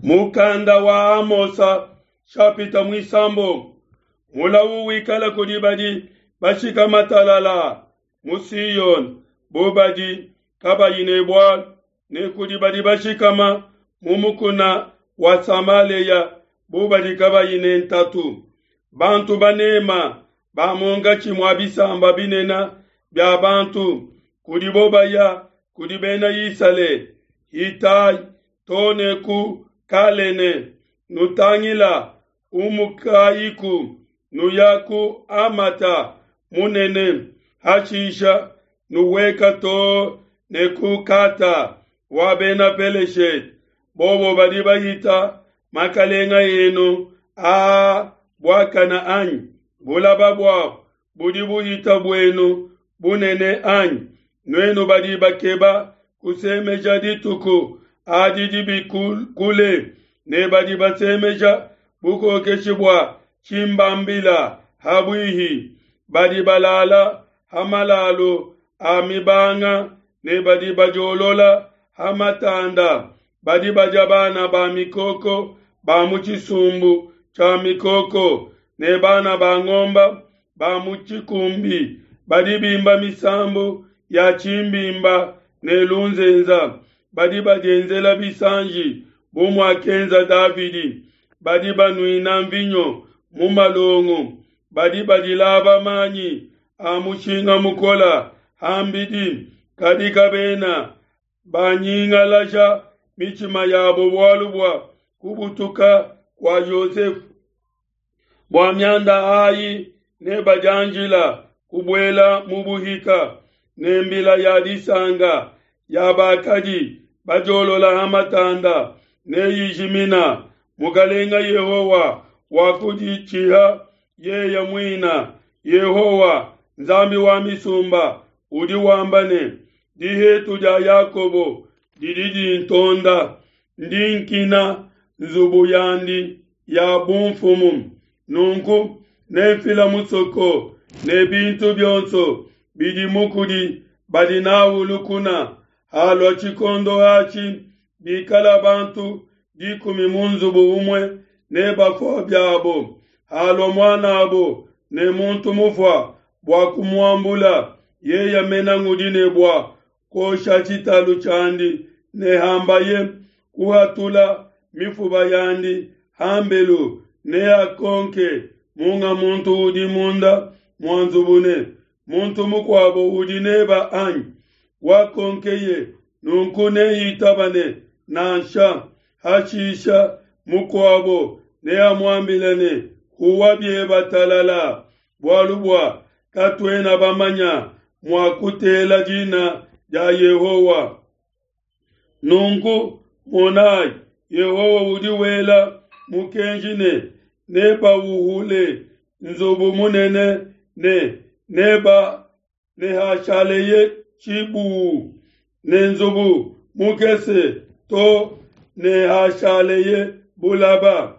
Mukanda wa Amosa shapita muisambombo. Mulawu wikala kudi badi bashikama talala mu Siyone bu badi kabayi ne bualu, ne kudi badi bashikama mu mukuna wa Samalea bu badi kabayi ne ntatu. Bantu banema ba munkatshi mua bisamba binene bia bantu kudibo baya kudi bena Isalele, hitayi too ne ku Kalene, nutangila umukayiku nuya ku Hamata munene, hashisha nuhueka too ne ku Kata wa Bena Peleshete. Bobo badi bahita makalenga enu aa buakana anyi? Bulaba buabo budi buhita buenu bunene anyi? Nuenu badi bakeba kusemeja dituku adi dibi kule, ne badi basemeja bukokeshi bua tshimbambila ha buihi, badi balala ha malalu a mibanga ne badi badiolola ha matanda, badi badia bana ba mikoko ba mu tshisumbu tshia mikoko ne bana ba ngomba ba mu tshikumbi, badi bimba misambu ya tshimbimba ne lunzenza, badi badienzela bisanji bu muakenza Davidi, badi banuina mvinyo mu malongo, badi badilaba manyi a mushinga mukola ham'bidi, kadi kabena banyingalaja mitshima yabo bualu bua kubutuka kua Yosefe. Bua mianda ayi nebadianjila kubuela mu buhika, ne mbila ya disanka ya bakadi badiolola ha matanda neyijimina. Mukalenga Yehowa wakuditshiha yeye muina, Yehowa, Nzambi wa misumba, udi wamba ne, Dihetu dia Yakobo didi dintonda, ndi nkina nzubu yandi ya bunfumu. Nunku nenfila musoko ne bintu bionso bidimu kudi badi n'au lukuna. Halua tshikondo atshi, bikala bantu dikumi mu nzubu umue nebafua biabo. Halua muan'abo ne muntu mufua bua kumuambula, yeye mena ngudi ne bua kuosha tshitalu tshiandi ne hambaye kuhatula mifuba yandi hambelu, neakonke munga muntu udi munda mua nzubu ne, Muntu mukuabo udi neba anyi? Wakonkeye nunku neitaba ne, Nansha. Hashisha mukuabo neamuambile ne, Huwa bieba talala, bualu bua katuena bamanya mua kutela dina dia Yehowa. Nunku monai, Yehowa udi wela mukenji ne, Nebauhule nzubu munene ne neba nehashaleye tshibuwu, ne nzubu mukese to nehashaleye bulaba.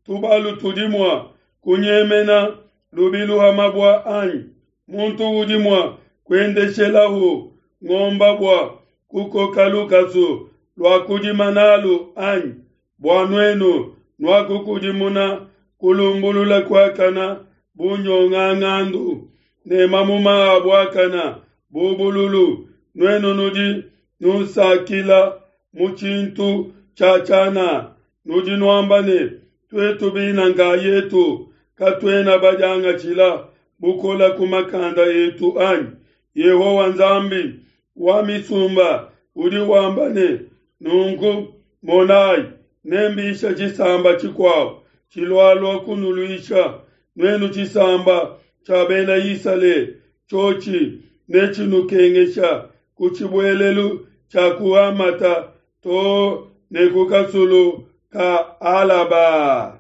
Tubalu tudi mua kunyemena lubilu ha mabua anyi? Muntu udi mua kuendeshelahu ngomba bua kukoka lukasu lua kudima n'alu anyi? Bua nuenu nuakukudimuna kulumbulula kuakana bu nyongangandu, ne mamuma a buakana bu bululu, nuenu nudi nunsakila mu tshintu tshia tshianana, nudi nuamba ne, Tuetu bina nkayetu katuena badiangatshila bukola ku makanda etu anyi? Yehowa Nzambi wa misumba udi wamba ne, Nunku monai, nembisha tshisamba tshikuabo tshilualua kunuluisha, nuenu tshisamba tshia Bena Isalele, tshiotshi netshinukengesha ku tshibuelelu tshia ku Hamata to ne ku kasulu ka Alaba.